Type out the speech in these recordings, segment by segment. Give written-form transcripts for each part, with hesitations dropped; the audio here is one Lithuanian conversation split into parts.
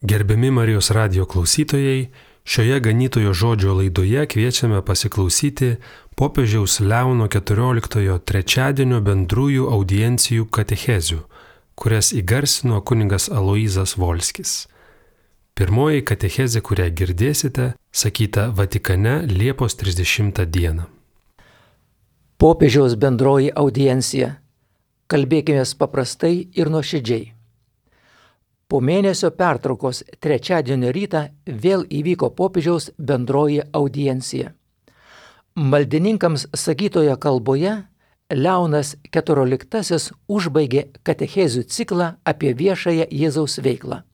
Gerbiami Marijos radijo klausytojai, šioje ganytojo žodžio laidoje kviečiame pasiklausyti popiežiaus Leono XIV trečiadienio bendrųjų audiencijų katechezių, kurias įgarsino kunigas Aloyzas Volskis. Pirmoji katechezė, kurią girdėsite, sakyta Vatikane Liepos 30 dieną. Popiežiaus bendroji audiencija. Kalbėkime paprastai ir nuoširdžiai. Po mėnesio pertraukos trečiadienio rytą vėl įvyko popiežiaus bendroji audiencija. Maldininkams sakytoje kalboje Leonas XIV užbaigė katechezių ciklą apie viešąją Jėzaus veiklą –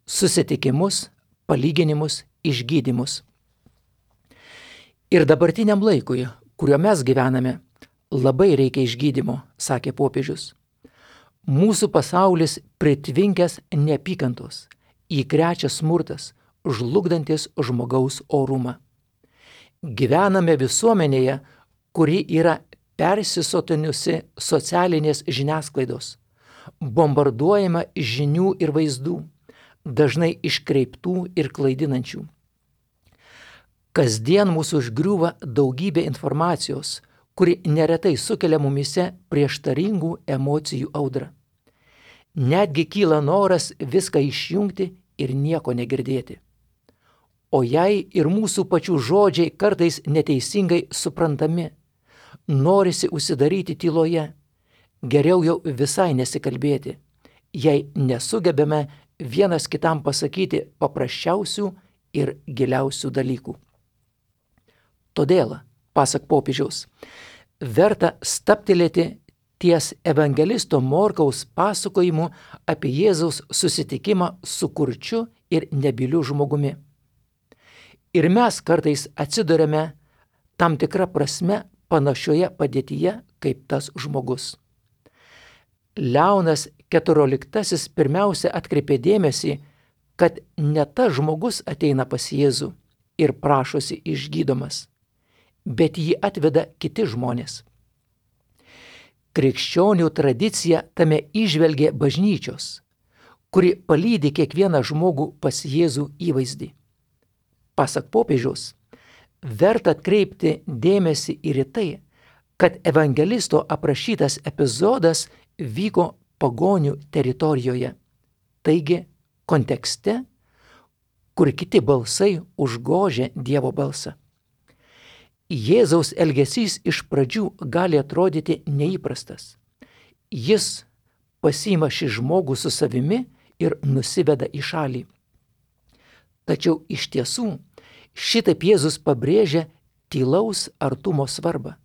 susitikimus, palyginimus, išgydymus. Ir dabartiniam laikui, kuriuo mes gyvename, labai reikia išgydymo, sakė popiežius. Mūsų pasaulis pritvinkęs neapykantos, įkrečia smurtas, žlugdantis žmogaus orumą. Gyvename visuomenėje, kuri yra persisotinusi socialinės žiniasklaidos, bombarduojama žinių ir vaizdų, dažnai iškreiptų ir klaidinančių. Kasdien mūsų užgriūva daugybė informacijos, kuri neretai sukelia mumise prieštaringų emocijų audrą. Netgi kyla noras viską išjungti ir nieko negirdėti. O jei ir mūsų pačių žodžiai kartais neteisingai suprantami, norisi užsidaryti tyloje, geriau jau visai nesikalbėti, jei nesugebame vienas kitam pasakyti paprasčiausių ir giliausių dalykų. Todėl, pasak popiežiaus, verta stabtelėti ties evangelisto Morkaus pasakojimu apie Jėzaus susitikimą su kurčiu ir nebyliu žmogumi. Ir mes kartais atsiduriame tam tikrą prasme panašioje padėtyje kaip tas žmogus. Leonas XIV pirmiausia atkreipė dėmesį, kad ne tas žmogus ateina pas Jėzų ir prašosi išgydomas, bet jį atveda kiti žmonės. Krikščionių tradicija tame įžvelgė bažnyčios, kuri palydi kiekvieną žmogų pas Jėzų įvaizdį. Pasak popiežiaus, verta atkreipti dėmesį ir į tai, kad evangelisto aprašytas epizodas vyko pagonių teritorijoje, taigi kontekste, kur kiti balsai užgožia Dievo balsą. Jėzaus elgesys iš pradžių gali atrodyti neįprastas. Jis pasiima šį žmogų su savimi ir nusiveda į šalį. Tačiau iš tiesų šitaip Jėzus pabrėžia tylaus artumo svarbą.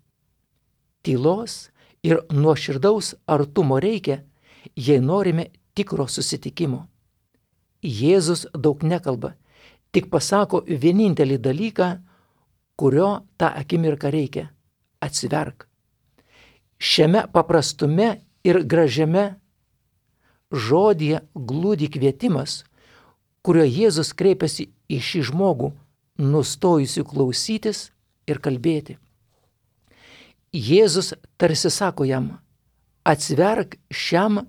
Tylos ir nuoširdaus artumo reikia, jei norime tikro susitikimo. Jėzus daug nekalba, tik pasako vienintelį dalyką, kurio tą akimirką reikia – atsiverk. Šiame paprastume ir gražiame žodyje glūdi kvietimas, kurio Jėzus kreipiasi į šį žmogų, nustojusių klausytis ir kalbėti. Jėzus tarsi sako jam, atsiverk šiam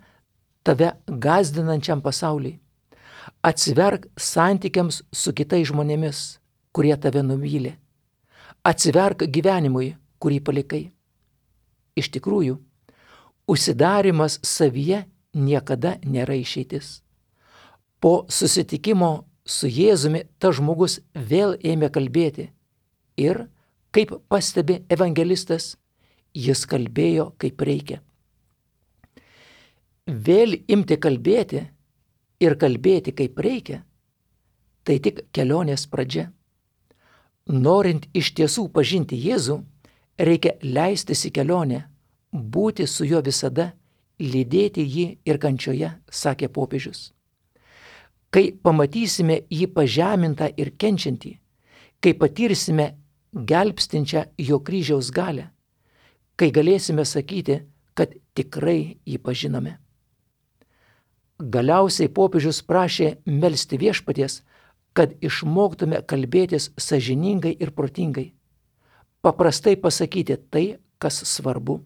tave gąsdinančiam pasauliui, atsiverk santykiams su kitais žmonėmis, kurie tave nuvylė. Atsiverk gyvenimui, kurį palikai. Iš tikrųjų, užsidarimas savyje niekada nėra išeitis. Po susitikimo su Jėzumi tas žmogus vėl ėmė kalbėti ir, kaip pastebi evangelistas, jis kalbėjo kaip reikia. Vėl imti kalbėti ir kalbėti kaip reikia, tai tik kelionės pradžia. Norint iš tiesų pažinti Jėzų, reikia leistis į kelionę, būti su juo visada, lydėti jį ir kančioje, sakė popiežius. Kai pamatysime jį pažemintą ir kenčiantį, kai patirsime gelbstinčią jo kryžiaus galią, kai galėsime sakyti, kad tikrai jį pažinome. Galiausiai popiežius prašė melsti viešpaties, kad išmoktume kalbėtis sąžiningai ir protingai, paprastai pasakyti tai, kas svarbu.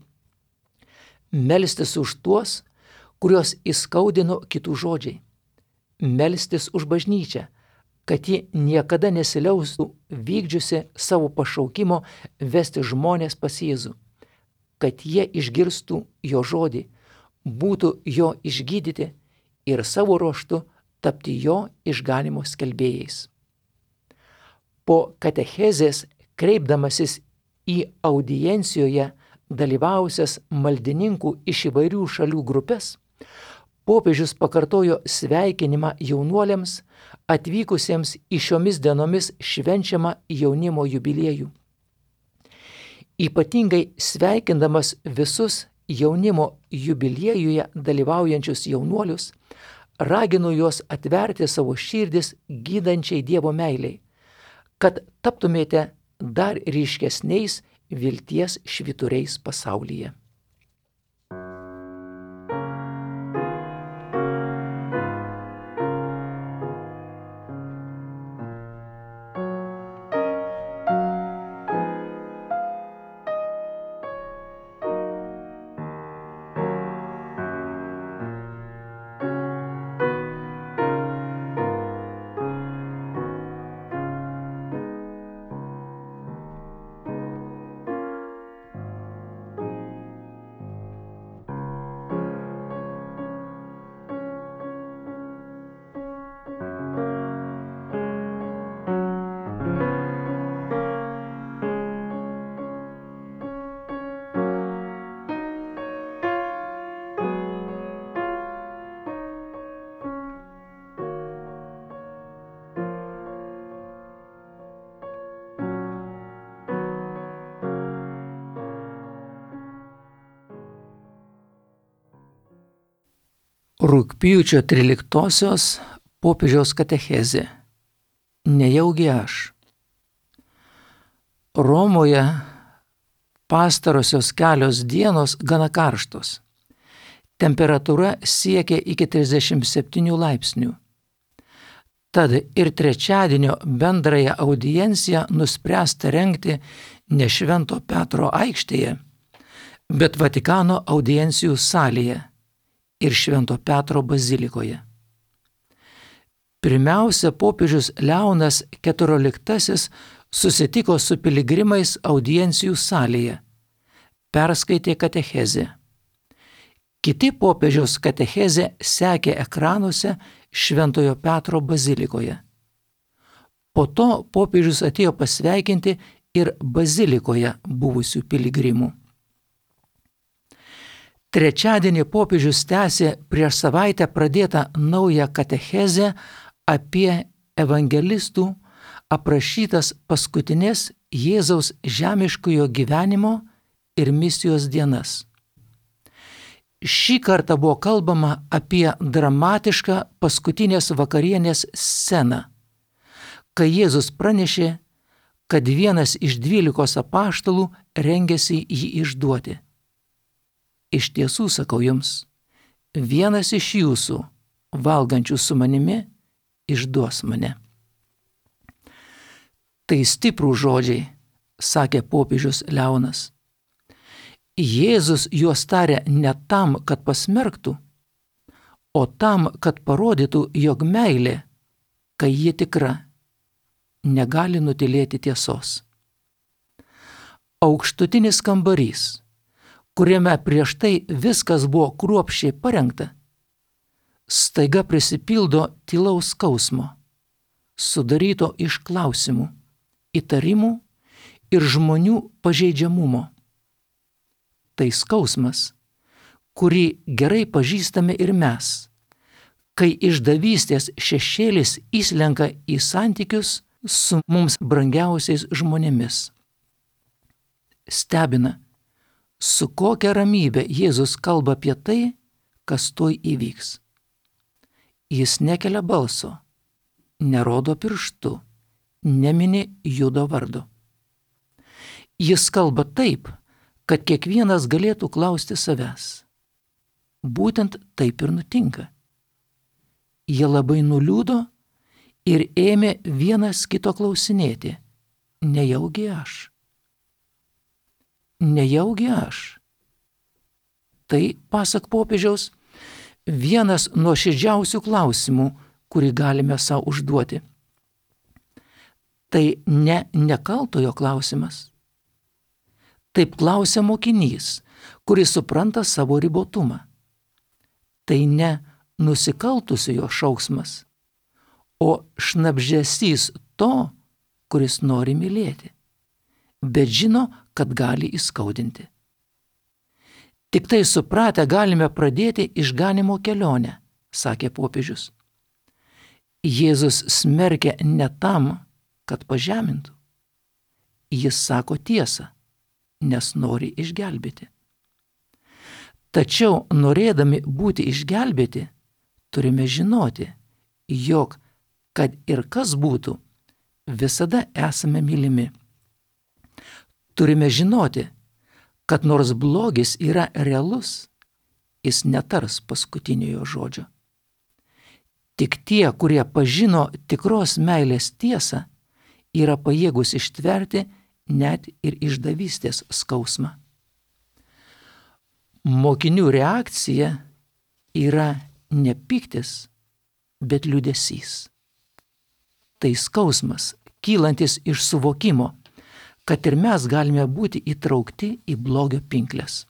Melstis už tuos, kuriuos įskaudino kitų žodžiai. melstis už bažnyčią, kad ji niekada nesiliaustų vykdžiusi savo pašaukimo vesti žmonės pas Jėzų, kad jie išgirstų jo žodį, būtų jo išgydyti ir savo ruožtu tapti jo išganimo skelbėjais. Po katechezės, kreipdamasis į audiencijoje dalyvausias maldininkų iš įvairių šalių grupės, popiežius pakartojo sveikinimą jaunuoliams atvykusiems į šiomis dienomis švenčiamą jaunimo jubiliejų. Ypatingai sveikindamas visus jaunimo jubiliejuje dalyvaujančius jaunuolius, ragino juos atverti savo širdis gydančiai Dievo meiliai, kad taptumėte dar ryškesniais vilties švyturiais pasaulyje. Rugpjūčio 13-osios popiežiaus katechezė. Nejaugi aš. Romoje pastarosios kelios dienos gana karštos. Temperatūra siekia iki 37 laipsnių. Tad ir trečiadienio bendrąją audienciją nuspręsta rengti ne Švento Petro aikštėje, bet Vatikano audiencijų salėje ir Švento Petro bazilikoje. Pirmiausia, popiežius Leonas XIV susitiko su piligrimais audiencijų salėje, perskaitė katechezę. Kiti popiežiaus katechezę sekė ekranuose Šventojo Petro bazilikoje. Po to popiežius atėjo pasveikinti ir bazilikoje buvusių piligrimų. Trečiadienį popiežius tęsė prieš savaitę pradėtą naują katechezę apie evangelistų aprašytas paskutinės Jėzaus žemiškojo gyvenimo ir misijos dienas. Šį kartą buvo kalbama apie dramatišką paskutinės vakarienės sceną, kai Jėzus pranešė, kad vienas iš 12 apaštalų rengėsi jį išduoti. Iš tiesų sakau jums, vienas iš jūsų, valgančių su manimi, išduos mane. Tai stiprūs žodžiai, sakė popiežius Leonas. Jėzus juos tarė ne tam, kad pasmerktų, o tam, kad parodytų, jog meilė, kai ji tikra, negali nutylėti tiesos. Aukštutinis kambarys, kuriame prieš tai viskas buvo kruopščiai parengta, staiga prisipildo tylaus skausmo, sudaryto iš klausimų, įtarimų ir žmonių pažeidžiamumo. Tai skausmas, kurį gerai pažįstame ir mes, kai išdavystės šešėlis įslenka į santykius su mums brangiausiais žmonėmis. Stebina, su kokia ramybė Jėzus kalba apie tai, kas tuoj įvyks. Jis nekelia balso, nerodo pirštu, nemini Judo vardo. Jis kalba taip, kad kiekvienas galėtų klausti savęs. Būtent taip ir nutinka. Jie labai nuliūdo ir ėmė vienas kito klausinėti, nejaugi aš. Nejaugi aš. Tai, pasak popiežiaus, vienas nuoširdžiausių klausimų, kurį galime savo užduoti. Tai ne nekaltojo klausimas. Taip klausia mokinys, kuris supranta savo ribotumą. Tai ne nusikaltusiojo šauksmas, o šnabždesys to, kuris nori mylėti, bet žino, kad gali įskaudinti. Tik tai supratę galime pradėti išganymo kelionę, sakė popiežius. Jėzus smerkia ne tam, kad pažemintų. Jis sako tiesą, nes nori išgelbėti. Tačiau norėdami būti išgelbėti, turime žinoti, jog, kad ir kas būtų, visada esame mylimi. Turime žinoti, kad nors blogis yra realus, jis netars paskutiniojo žodžio. Tik tie, kurie pažino tikros meilės tiesą, yra pajėgus ištverti net ir išdavystės skausmą. Mokinių reakcija yra ne pyktis, bet liūdesys. Tai skausmas, kylantis iš suvokimo, kad ir mes galime būti įtraukti į blogio pinkles.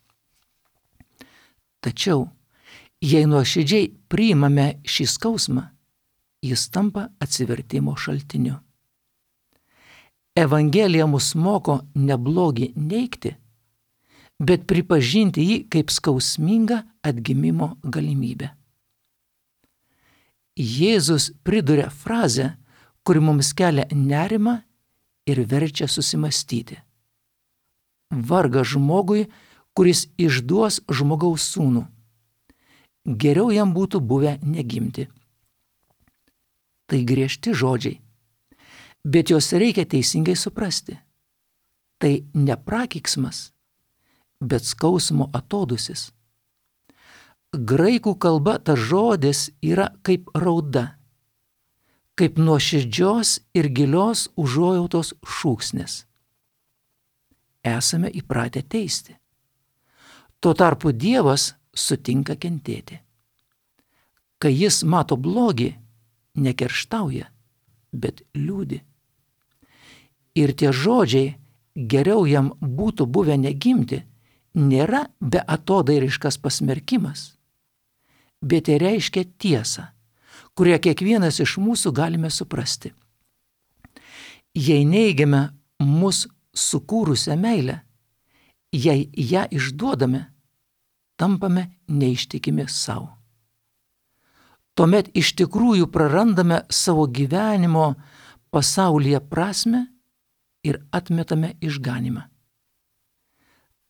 Tačiau, jei nuoširdžiai priimame šį skausmą, jis tampa atsivertimo šaltiniu. Evangelija mus moko ne blogį neigti, bet pripažinti jį kaip skausmingą atgimimo galimybę. Jėzus priduria frazę, kuri mums kelia nerimą ir verčia susimastyti. Vargas žmogui, kuris išduos žmogaus sūnų. Geriau jam būtų buvę negimti. Tai griežti žodžiai, bet juos reikia teisingai suprasti. Tai ne prakeiksmas, bet skausmo atodūsis. Graikų kalba tas žodis yra kaip rauda, kaip nuoširdžios ir gilios užuojautos šūksnis. Esame įpratę teisti. Tuo tarpu Dievas sutinka kentėti. Kai jis mato blogį, nekerštauja, bet liūdi. Ir tie žodžiai, geriau jam būtų buvę negimti, nėra beatodairiškas pasmerkimas, bet tai reiškia tiesą, kurią kiekvienas iš mūsų galime suprasti. Jei neigiame mus sukūrusią meilę, jei ją išduodame, tampame neištikimi savo. Tuomet iš tikrųjų prarandame savo gyvenimo pasaulyje prasmę ir atmetame išganymą.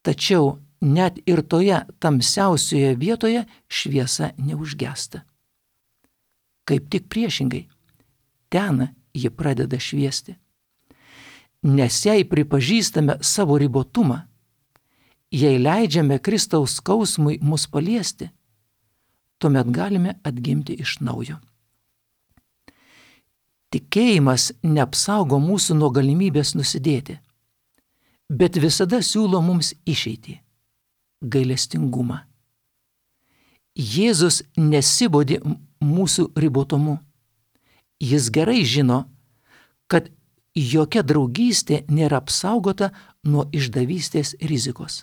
Tačiau net ir toje tamsiausioje vietoje šviesa neužgęsta. Kaip tik priešingai, ten ji pradeda šviesti. Nes jei pripažįstame savo ribotumą, jei leidžiame Kristaus skausmui mus paliesti, tuomet galime atgimti iš naujo. Tikėjimas neapsaugo mūsų nuo galimybės nusidėti, bet visada siūlo mums išeitį – gailestingumą. Jėzus nesibodi mūsų ribotumu. Jis gerai žino, kad jokia draugystė nėra apsaugota nuo išdavystės rizikos.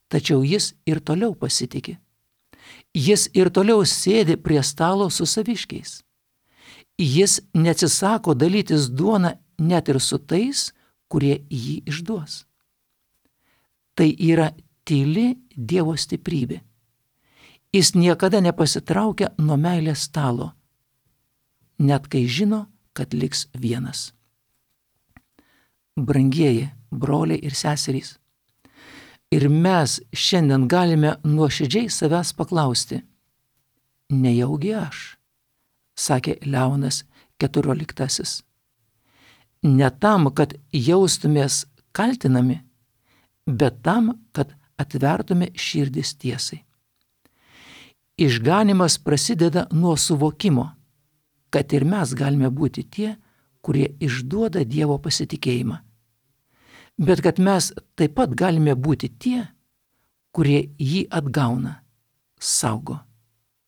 Tačiau jis ir toliau pasitiki. Jis ir toliau sėdi prie stalo su saviškiais. Jis neatsisako dalytis duoną net ir su tais, kurie jį išduos. Tai yra tyli Dievo stiprybė. Jis niekada nepasitraukia nuo meilės stalo, net kai žino, kad liks vienas. Brangieji broliai ir seserys, ir mes šiandien galime nuoširdžiai savęs paklausti, nejaugi aš, sakė Leonas XIV. Ne tam, kad jaustumės kaltinami, bet tam, kad atvertume širdis tiesai. Išganymas prasideda nuo suvokimo, kad ir mes galime būti tie, kurie išduoda Dievo pasitikėjimą. Bet kad mes taip pat galime būti tie, kurie jį atgauna, saugo,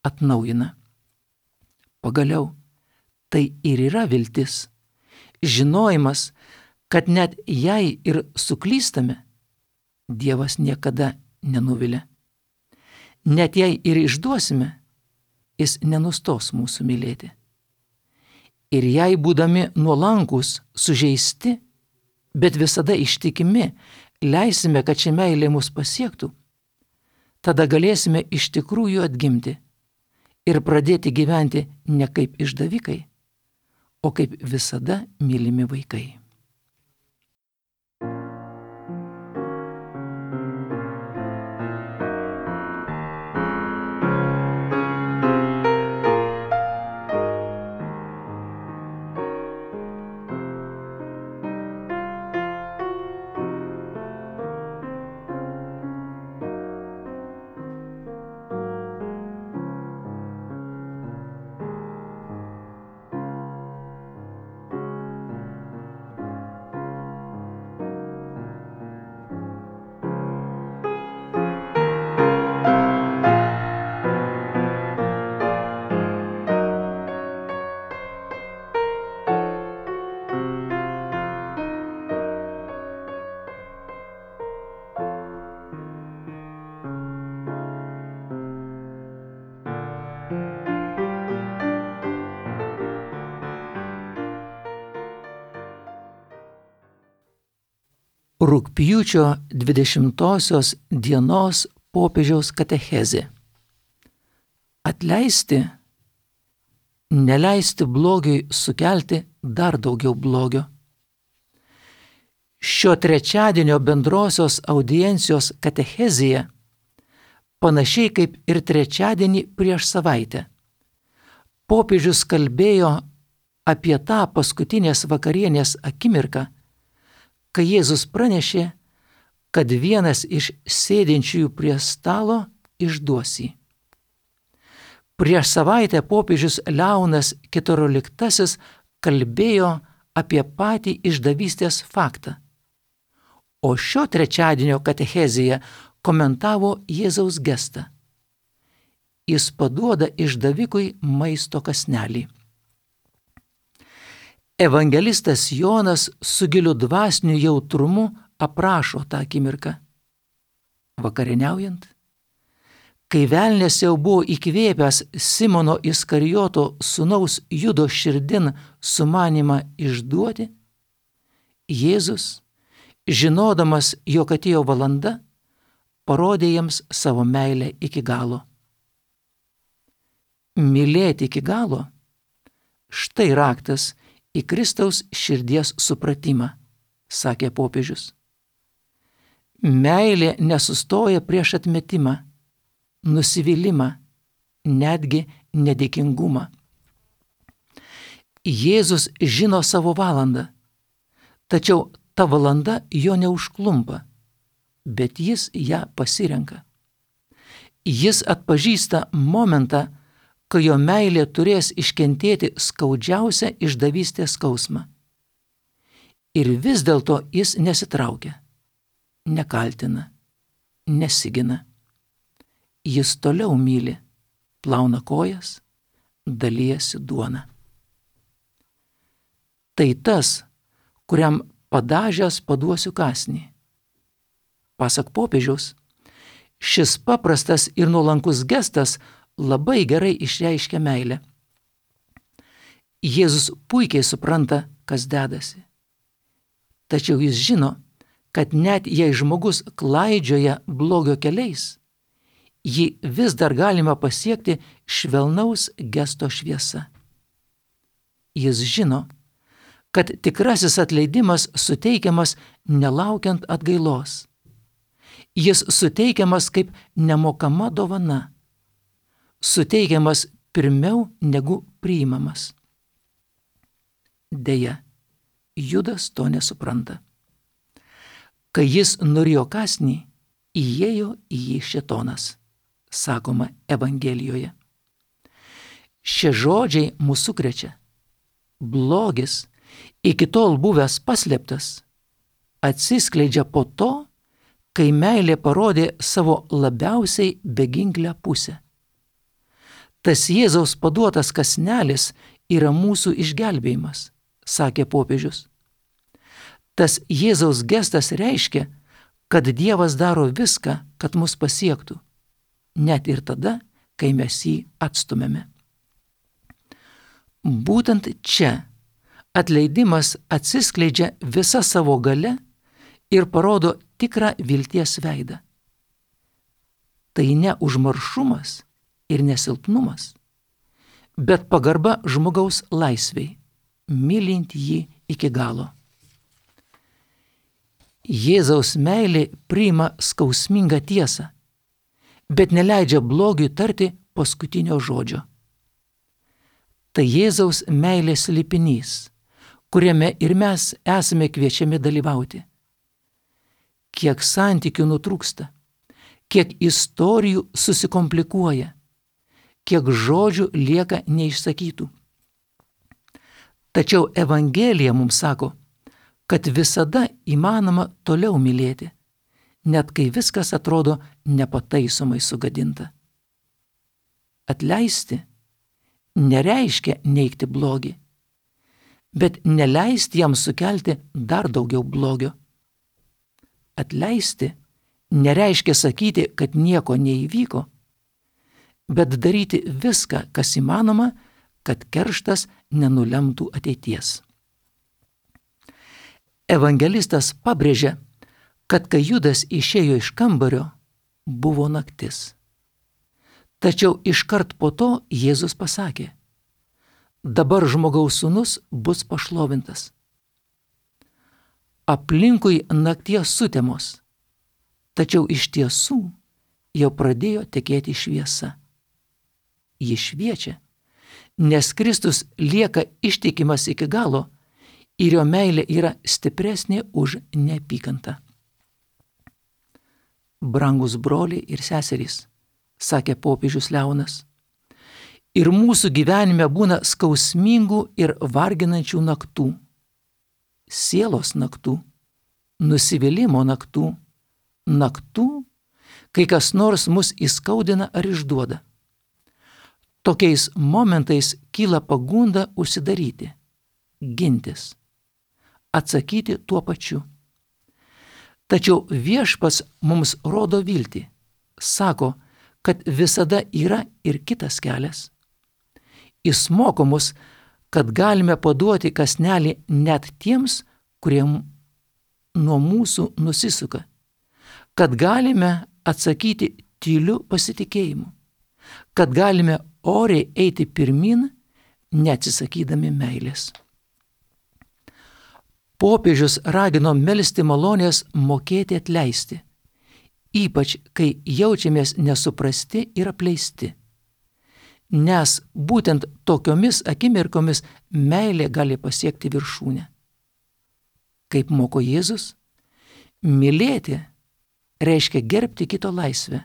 atnaujina. Pagaliau, tai ir yra viltis. Žinojimas, kad net jei ir suklystame, Dievas niekada nenuvilia. Net jei ir išduosime, Jis nenustos mūsų mylėti. Ir jei būdami nuolankus, sužeisti, bet visada ištikimi, leisime, kad ši meilė mus pasiektų, tada galėsime iš tikrųjų atgimti ir pradėti gyventi ne kaip išdavikai, o kaip visada mylimi vaikai. Rugpjūčio 20 dienos popiežiaus katechezė. Atleisti, neleisti blogiui sukelti dar daugiau blogio. Šio trečiadienio bendrosios audiencijos katechezėje, panašiai kaip ir trečiadienį prieš savaitę, popiežius kalbėjo apie tą paskutinės vakarienės akimirką, kai Jėzus pranešė, kad vienas iš sėdinčiųjų prie stalo išduos jį. Prieš savaitę popiežius Leonas XIV kalbėjo apie patį išdavystės faktą, o šio trečiadienio katechezėje komentavo Jėzaus gestą. Jis paduoda išdavikui maisto kąsnelį. Evangelistas Jonas su giliu dvasiniu jautrumu aprašo tą akimirką. Vakarieniaujant, kai velnias jau buvo įkvėpęs Simono Iskarijoto sūnaus Judo širdin sumanimą išduoti, Jėzus, žinodamas, jog atėjo valanda, parodė jiems savo meilę iki galo. Mylėti iki galo – štai raktas į Kristaus širdies supratimą, sakė popiežius. Meilė nesustoja prieš atmetimą, nusivylimą, netgi nedėkingumą. Jėzus žino savo valandą, tačiau ta valanda jo neužklumpa, bet jis ją pasirenka. Jis atpažįsta momentą, kai jo meilė turės iškentėti skaudžiausią išdavystės skausmą. Ir vis dėlto jis nesitraukia, nekaltina, nesigina. Jis toliau myli, plauna kojas, dalijasi duona. Tai tas, kuriam padažęs paduosiu kąsnį. Pasak popiežiaus, šis paprastas ir nuolankus gestas labai gerai išreiškia meilę. Jėzus puikiai supranta, kas dedasi. Tačiau jis žino, kad net jei žmogus klaidžioja blogio keliais, jį vis dar galima pasiekti švelnaus gesto šviesa. Jis žino, kad tikrasis atleidimas suteikiamas nelaukiant atgailos. Jis suteikiamas kaip nemokama dovana, suteikiamas pirmiau negu priimamas. Deja, Judas to nesupranta. Kai jis norėjo kąsnį, įėjo į jį šėtonas, sakoma Evangelijoje. Šie žodžiai mūsų sukrečia. Blogis, iki tol buvęs paslėptas, atsiskleidžia po to, kai meilė parodė savo labiausiai beginklę pusę. Tas Jėzaus paduotas kąsnelis yra mūsų išgelbėjimas, sakė popiežius. Tas Jėzaus gestas reiškia, kad Dievas daro viską, kad mus pasiektų, net ir tada, kai mes jį atstumėme. Būtent čia atleidimas atsiskleidžia visa savo gale ir parodo tikrą vilties veidą. Tai ne užmaršumas ir nesilpnumas, bet pagarba žmogaus laisvei, mylint jį iki galo. Jėzaus meilė priima skausmingą tiesą, bet neleidžia blogiui tarti paskutinio žodžio. Tai Jėzaus meilės slėpinys, kuriame ir mes esame kviečiami dalyvauti. Kiek santykių nutrūksta, kiek istorijų susikomplikuoja, kiek žodžių lieka neišsakytų. Tačiau Evangelija mums sako, kad visada įmanoma toliau mylėti, net kai viskas atrodo nepataisomai sugadinta. Atleisti nereiškia neigti blogį, bet neleisti jam sukelti dar daugiau blogio. Atleisti nereiškia sakyti, kad nieko neįvyko, bet daryti viską, kas įmanoma, kad kerštas nenulemtų ateities. Evangelistas pabrėžia, kad kai Judas išėjo iš kambario, buvo naktis. Tačiau iškart po to Jėzus pasakė, dabar žmogaus sūnus bus pašlovintas. Aplinkui nakties sutemos, tačiau iš tiesų jau pradėjo tekėti šviesa. Ji šviečia, nes Kristus lieka ištikimas iki galo ir jo meilė yra stipresnė už neapykantą. Brangus broliai ir seserys, sakė popiežius Leonas, ir mūsų gyvenime būna skausmingų ir varginančių naktų, sielos naktų, nusivylimo naktų, naktų, kai kas nors mus įskaudina ar išduoda. Tokiais momentais kyla pagunda užsidaryti, gintis, atsakyti tuo pačiu. Tačiau Viešpats mums rodo viltį, sako, kad visada yra ir kitas kelias. Jis moko mus, kad galime paduoti kąsnelį net tiems, kurie nuo mūsų nusisuka, kad galime atsakyti tyliu pasitikėjimu, kad galime oriai eiti pirmin, neatsisakydami meilės. Popiežius ragino melsti malonės mokėti atleisti, ypač kai jaučiamės nesuprasti ir apleisti. Nes būtent tokiomis akimirkomis meilė gali pasiekti viršūnę. Kaip moko Jėzus, mylėti reiškia gerbti kito laisvę,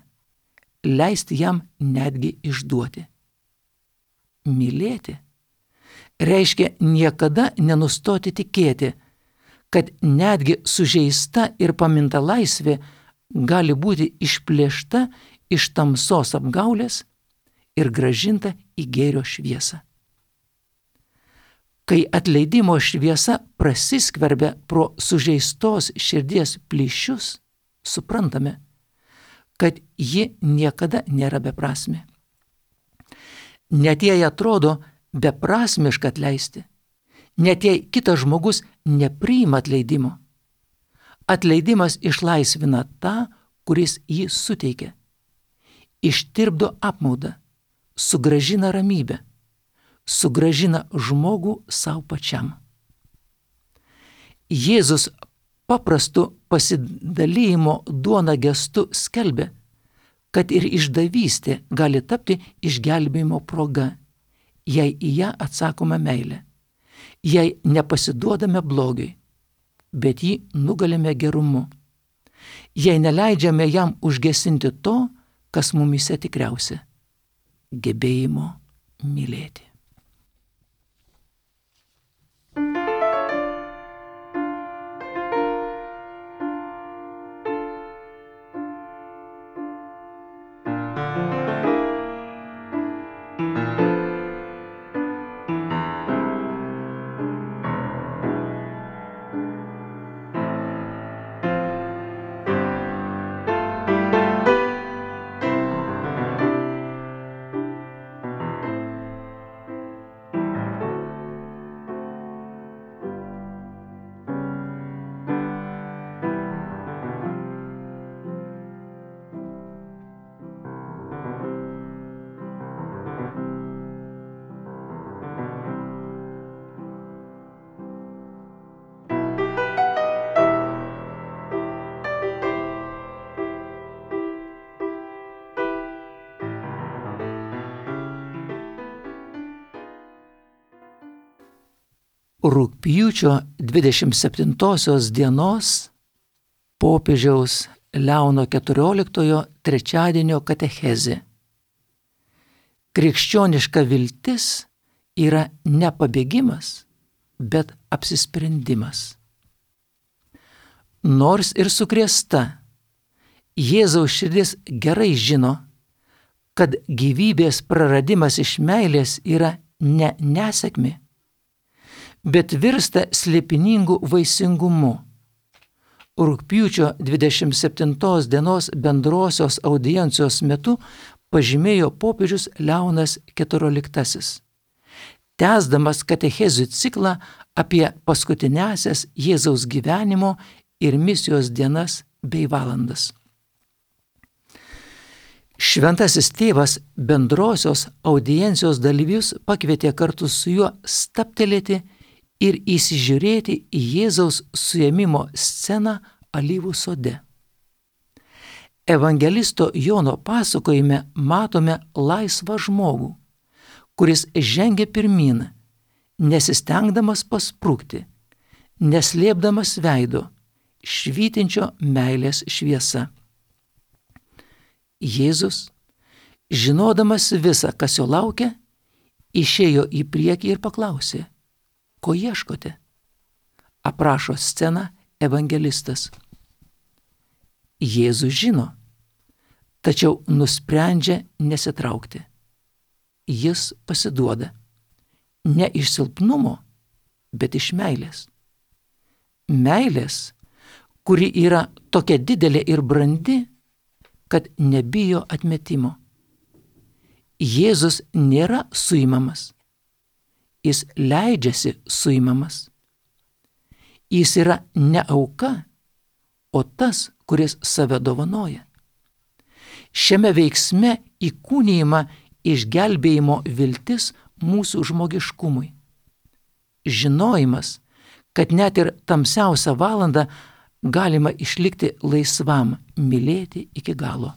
leisti jam netgi išduoti. Mylėti reiškia niekada nenustoti tikėti, kad netgi sužeista ir paminta laisvė gali būti išplėšta iš tamsos apgaulės ir grąžinta į gėrio šviesą. Kai atleidimo šviesa prasiskverbia pro sužeistos širdies plyšius, suprantame, kad ji niekada nėra beprasmė. Net jei atrodo beprasmiška atleisti, net jei kitas žmogus nepriima atleidimo, atleidimas išlaisvina tą, kuris jį suteikia, ištirpdo apmaudą, sugrąžina ramybę, sugrąžina žmogų savo pačiam. Jėzus paprastu pasidalijimo duona gestu skelbia, kad ir išdavystė gali tapti išgelbėjimo proga, jei į ją atsakome meilę, jei nepasiduodame blogiui, bet jį nugalime gerumu, jei neleidžiame jam užgesinti to, kas mumyse tikriausia – gebėjimo mylėti. Rugpjūčio 27 dienos popiežiaus Leono XIV trečiadienio katechezė. Krikščioniška viltis yra ne pabėgimas, bet apsisprendimas. Nors ir sukrėsta, Jėzaus širdis gerai žino, kad gyvybės praradimas iš meilės yra ne nesėkmė, bet virsta slėpiningu vaisingumu. Rugpjūčio 27 dienos bendrosios audiencijos metu pažymėjo popiežius Leonas XIV, tęsdamas katechezių ciklą apie paskutiniąsias Jėzaus gyvenimo ir misijos dienas bei valandas. Šventasis tėvas bendrosios audiencijos dalyvius pakvietė kartu su juo stabtelėti ir įsižiūrėti į Jėzaus suėmimo sceną Alyvų sode. Evangelisto Jono pasakojime matome laisvą žmogų, kuris žengia pirmyn, nesistengdamas pasprukti, neslėpdamas veido, švytinčio meilės šviesa. Jėzus, žinodamas visą, kas jo laukia, išėjo į priekį ir paklausė: ko ieškote? Aprašo sceną evangelistas. Jėzus žino, tačiau nusprendžia nesitraukti. Jis pasiduoda. Ne iš silpnumo, bet iš meilės. Meilės, kuri yra tokia didelė ir brandi, kad nebijo atmetimo. Jėzus nėra suimamas. Jis leidžiasi suimamas. Jis yra ne auka, o tas, kuris save dovanoja. Šiame veiksme įkūnijama išgelbėjimo viltis mūsų žmogiškumui. Žinojimas, kad net ir tamsiausią valandą galima išlikti laisvam, mylėti iki galo.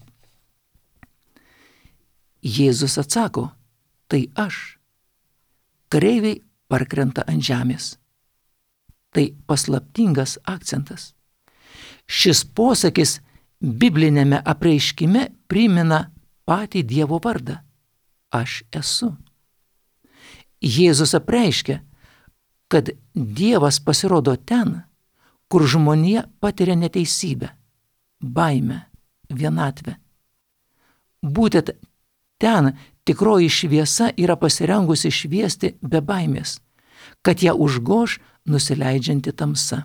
Jėzus atsako: tai aš. Kareiviai parkrenta ant žemės. Tai paslaptingas akcentas. Šis posakis biblinėme apreiškime primena patį Dievo vardą. Aš esu. Jėzus apreiškia, kad Dievas pasirodo ten, kur žmonija patiria neteisybę, baimę, vienatvę. Būtent ten tikroji šviesa yra pasirengusi šviesti be baimės, kad ją užgoš nusileidžianti tamsa.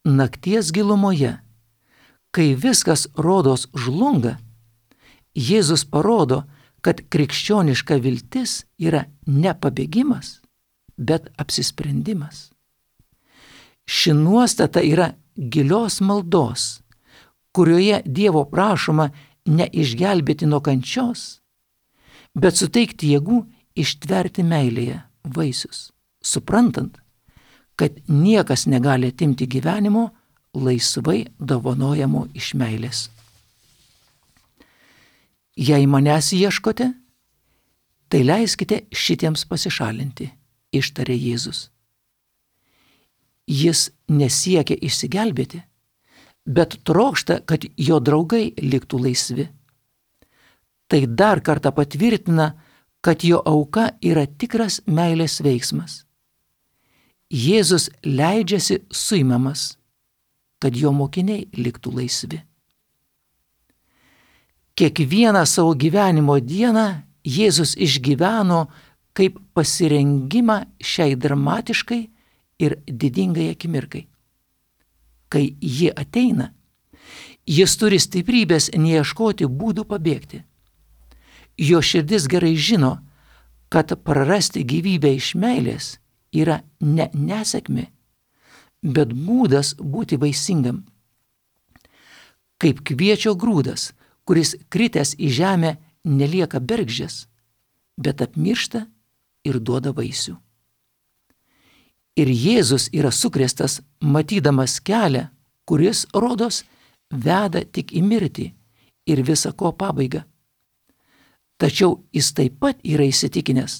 Nakties gilumoje, kai viskas rodos žlunga, Jėzus parodo, kad krikščioniška viltis yra ne pabėgimas, bet apsisprendimas. Ši nuostata yra gilios maldos, kurioje Dievo prašoma ne išgelbėti nuo kančios, bet suteikti jėgų ištverti meilėje vaisius, suprantant, kad niekas negali atimti gyvenimo laisvai dovanojamo iš meilės. Jei manęs ieškote, tai leiskite šitiems pasišalinti, ištarė Jėzus. Jis nesiekia išsigelbėti, bet trokšta, kad jo draugai liktų laisvi. Tai dar kartą patvirtina, kad jo auka yra tikras meilės veiksmas. Jėzus leidžiasi suimamas, kad jo mokiniai liktų laisvi. Kiekvieną savo gyvenimo dieną Jėzus išgyveno kaip pasirengimą šiai dramatiškai ir didingai akimirkai. Kai ji ateina, jis turi stiprybės neieškoti būdų pabėgti. Jo širdis gerai žino, kad prarasti gyvybę iš meilės yra ne nesėkmė, bet būdas būti vaisingam. Kaip kviečio grūdas, kuris kritęs į žemę nelieka bergždžias, bet apmiršta ir duoda vaisių. Ir Jėzus yra sukrėstas, matydamas kelią, kuris, rodos, veda tik į mirtį ir visa ko pabaigą. Tačiau jis taip pat yra įsitikinęs,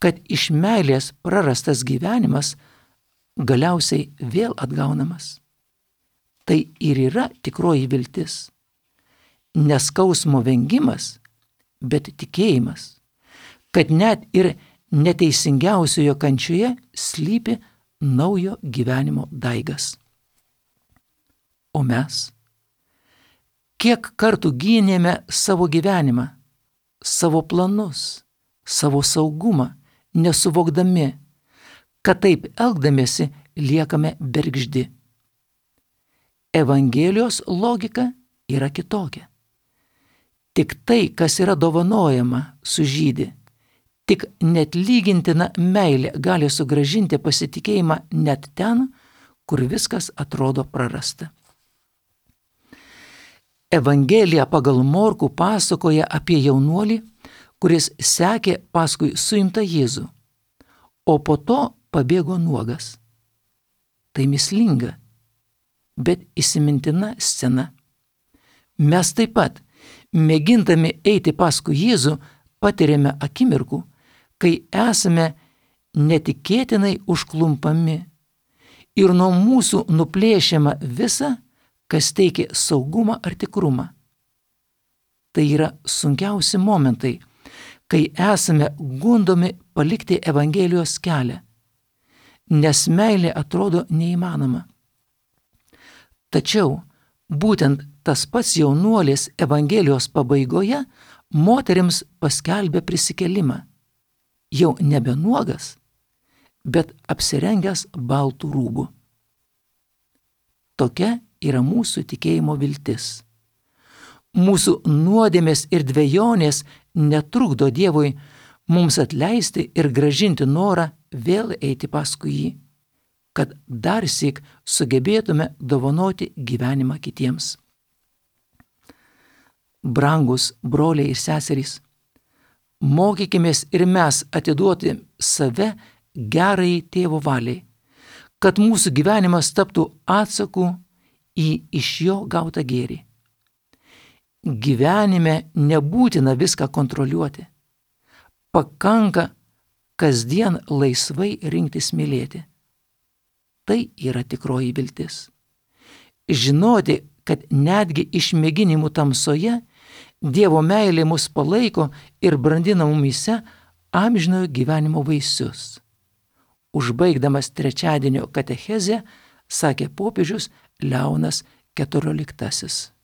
kad iš meilės prarastas gyvenimas galiausiai vėl atgaunamas. Tai ir yra tikroji viltis. Neskausmo vengimas, bet tikėjimas, kad net ir neteisingiausiojo kančioje slypi naujo gyvenimo daigas. O mes? Kiek kartų gynėme savo gyvenimą, savo planus, savo saugumą, nesuvokdami, kad taip elgdamiesi liekame bergždi. Evangelijos logika yra kitokia. Tik tai, kas yra dovanojama, sužydi. Tik neatlygintina meilė gali sugrąžinti pasitikėjimą net ten, kur viskas atrodo prarasta. Evangelija pagal Morkų pasakoja apie jaunuolį, kuris sekė paskui suimtą Jėzų, o po to pabėgo nuogas. Tai mįslinga, bet įsimintina scena. Mes taip pat, mėgindami eiti paskui Jėzų, patiriame akimirkų, kai esame netikėtinai užklumpami ir nuo mūsų nuplėšiama visa, kas teikia saugumą ar tikrumą. Tai yra sunkiausi momentai, kai esame gundomi palikti Evangelijos kelią, nes meilė atrodo neįmanoma. Tačiau būtent tas pats jaunuolis Evangelijos pabaigoje moterims paskelbė prisikėlimą, jau nebe nuogas, bet apsirengęs baltų rūbų. Tokia yra mūsų tikėjimo viltis. Mūsų nuodėmės ir dvejonės netrukdo Dievui mums atleisti ir grąžinti norą vėl eiti paskui jį, kad darsyk sugebėtume dovanoti gyvenimą kitiems. Brangus broliai ir seserys, mokykimės ir mes atiduoti save gerai tėvo valiai, kad mūsų gyvenimas taptų atsaku į iš jo gautą gėrį. Gyvenime nebūtina viską kontroliuoti. Pakanka kasdien laisvai rinktis mylėti. Tai yra tikroji viltis. Žinoti, kad netgi išmėginimų tamsoje Dievo meilė mus palaiko ir brandina mumyse amžinojo gyvenimo vaisius. Užbaigdamas trečiadienio katechezę, sakė popiežius Leonas XIV.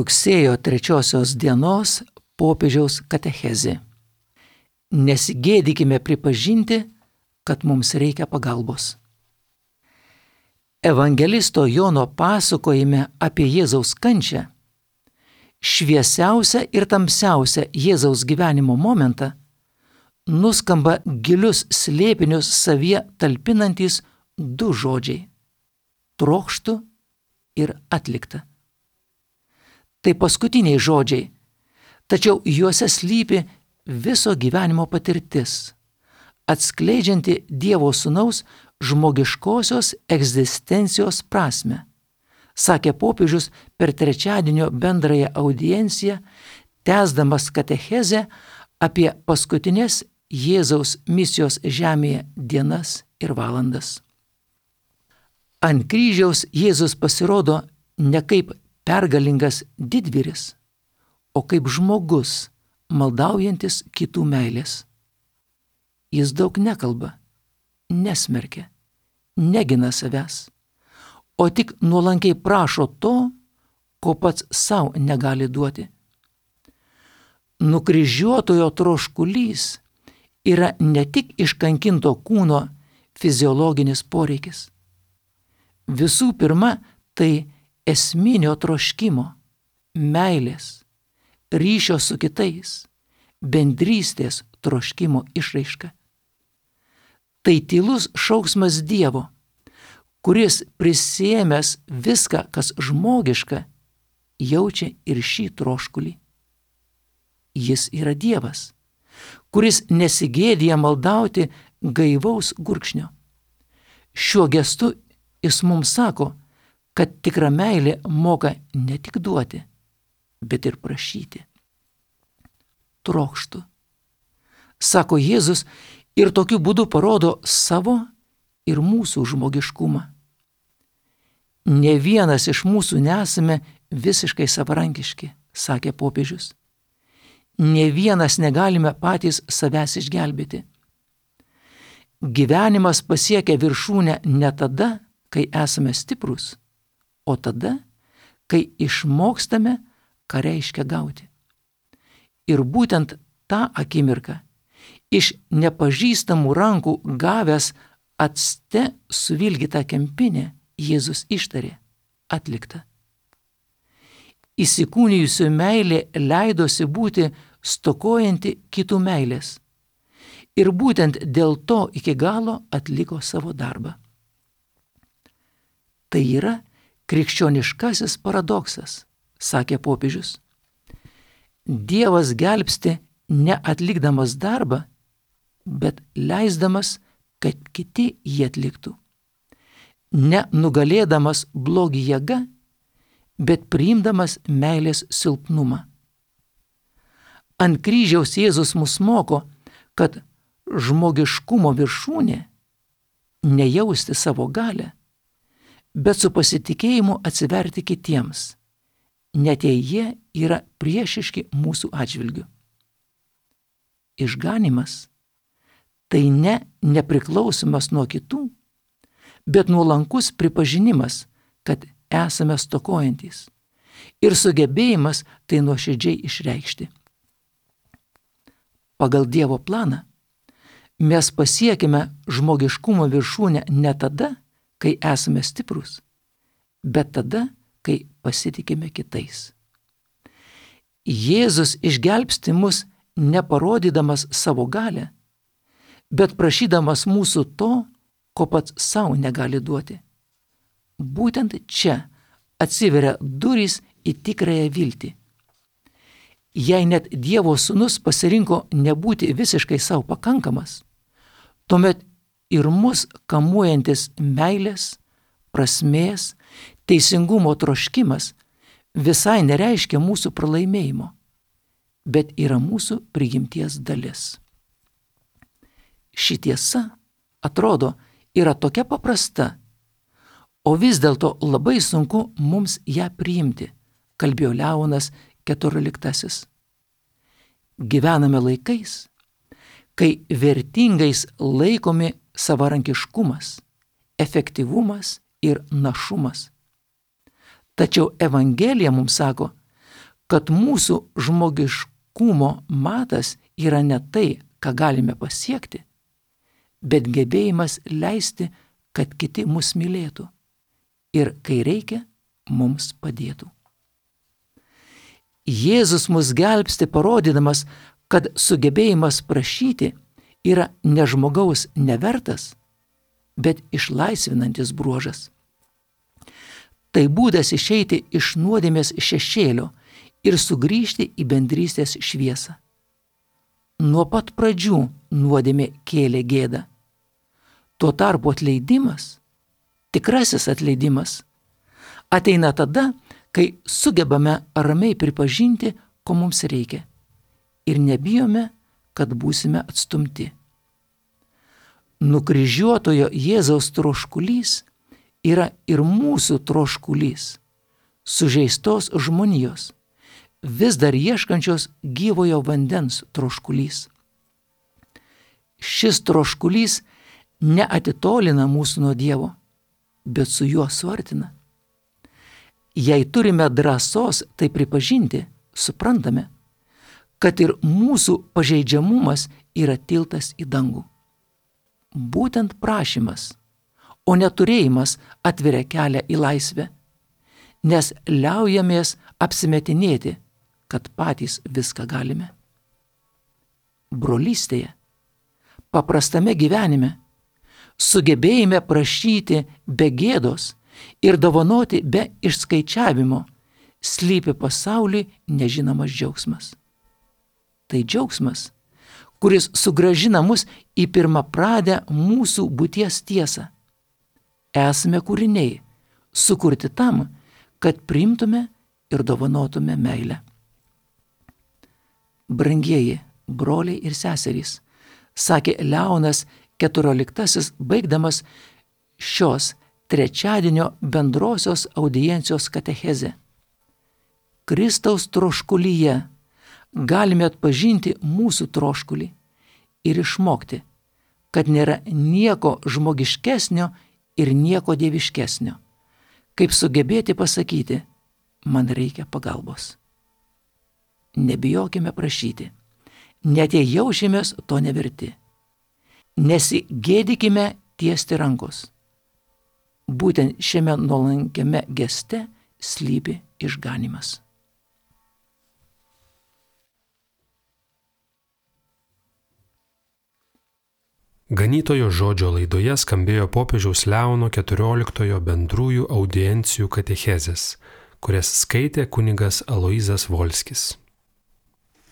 Rugsėjo 3 dienos popiežiaus katechezė. Nesigėdykime pripažinti, kad mums reikia pagalbos. Evangelisto Jono pasakojime apie Jėzaus kančią, šviesiausią ir tamsiausią Jėzaus gyvenimo momentą, nuskamba gilius slėpinius savyje talpinantys du žodžiai – trokštu ir atlikta. Tai paskutiniai žodžiai, tačiau juose slypi viso gyvenimo patirtis, atskleidžianti Dievo Sūnaus žmogiškosios egzistencijos prasmę, sakė popiežius per trečiadienio bendrąją audienciją, tęsdamas katechezę apie paskutinės Jėzaus misijos žemėje dienas ir valandas. Ant kryžiaus Jėzus pasirodo ne kaip pergalingas didvyris, o kaip žmogus, maldaujantis kitų meilės. Jis daug nekalba, nesmerkia, negina savęs, o tik nuolankiai prašo to, ko pats savo negali duoti. Nukryžiuotojo troškulys yra ne tik iškankinto kūno fiziologinis poreikis. Visų pirma, tai esminio troškimo, meilės, ryšio su kitais, bendrystės troškimo išraiška. Tai tylus šauksmas Dievo, kuris prisiėmęs viską, kas žmogiška, jaučia ir šį troškulį. Jis yra Dievas, kuris nesigėdija maldauti gaivaus gurkšnio. Šiuo gestu jis mums sako, kad tikra meilė moka ne tik duoti, bet ir prašyti. Trokštu, sako Jėzus, ir tokiu būdu parodo savo ir mūsų žmogiškumą. Ne vienas iš mūsų nesame visiškai savarankiški, sakė popiežius. Ne vienas negalime patys savęs išgelbėti. Gyvenimas pasiekia viršūnę ne tada, kai esame stiprus, o tada, kai išmokstame, ką reiškia gauti. Ir būtent tą akimirką iš nepažįstamų rankų gavęs acte suvilgytą kempinę, Jėzus ištarė: atlikta. Įsikūnijusių meilė leidosi būti stokojanti kitų meilės. Ir būtent dėl to iki galo atliko savo darbą. Tai yra krikščioniškasis paradoksas, sakė popiežius. Dievas gelbsti neatlikdamas darbą, bet leisdamas, kad kiti jį atliktų. Nenugalėdamas blogį jėga, bet priimdamas meilės silpnumą. Ant kryžiaus Jėzus mus moko, kad žmogiškumo viršūnė nejausti savo galią, bet su pasitikėjimu atsiverti kitiems, net jei jie yra priešiški mūsų atžvilgiu. Išganymas tai ne nepriklausomas nuo kitų, bet nuolankus pripažinimas, kad esame stokojantys, ir sugebėjimas tai nuoširdžiai išreikšti. Pagal Dievo planą mes pasiekime žmogiškumo viršūnę ne tada, kai esame stiprus, bet tada, kai pasitikime kitais. Jėzus išgelbsti mus neparodydamas savo galią, bet prašydamas mūsų to, ko pats savo negali duoti. Būtent čia atsiveria durys į tikrąją viltį. Jei net Dievo sūnus pasirinko nebūti visiškai savo pakankamas, tuomet ir mus kamuojantis meilės, prasmės, teisingumo troškimas visai nereiškia mūsų pralaimėjimo, bet yra mūsų prigimties dalis. Ši tiesa, atrodo, yra tokia paprasta, o vis dėlto labai sunku mums ją priimti, kalbėjo Leonas XIV. Gyvename laikais, kai vertingais laikomi savarankiškumas, efektyvumas ir našumas. Tačiau Evangelija mums sako, kad mūsų žmogiškumo matas yra ne tai, ką galime pasiekti, bet gebėjimas leisti, kad kiti mus mylėtų ir, kai reikia, mums padėtų. Jėzus mus gelbsti parodydamas, kad sugebėjimas prašyti yra ne žmogaus nevertas, bet išlaisvinantis bruožas. Tai būdas išeiti iš nuodėmės šešėlio ir sugrįžti į bendrystės šviesą. Nuo pat pradžių nuodėmė kėlė gėdą. Tuo tarpu atleidimas, tikrasis atleidimas, ateina tada, kai sugebame ramiai pripažinti, ko mums reikia, ir nebijome, kad būsime atstumti. Nukryžiuotojo Jėzaus troškulys yra ir mūsų troškulys, sužeistos žmonijos, vis dar ieškančios gyvojo vandens troškulys. Šis troškulys neatitolina mūsų nuo Dievo, bet su juo suartina. Jei turime drąsos tai pripažinti, suprantame, kad ir mūsų pažeidžiamumas yra tiltas į dangų. Būtent prašymas, o neturėjimas atveria kelią į laisvę, nes liaujamės apsimetinėti, kad patys viską galime. Brolystėje, paprastame gyvenime, sugebėjime prašyti be gėdos ir dovanoti be išskaičiavimo, slypi pasauliui nežinomas džiaugsmas. Tai džiaugsmas, kuris sugrąžina mus į pirmapradę mūsų būties tiesą. Esame kūriniai, sukurti tam, kad priimtume ir dovanotume meilę. Brangieji broliai ir seserys, sakė Leonas XIV, baigdamas šios trečiadienio bendrosios audiencijos katechezę. Kristaus troškulyje galime atpažinti mūsų troškulį ir išmokti, kad nėra nieko žmogiškesnio ir nieko dieviškesnio, kaip sugebėti pasakyti, man reikia pagalbos. Nebijokime prašyti, net jei jaučiamės to neverti. Nesigėdykime tiesti rankos. Būtent šiame nuolankiame geste slypi išganymas. Ganytojo žodžio laidoje skambėjo popiežiaus Leono XIV bendrųjų audiencijų katechezės, kurias skaitė kunigas Aloyzas Volskis.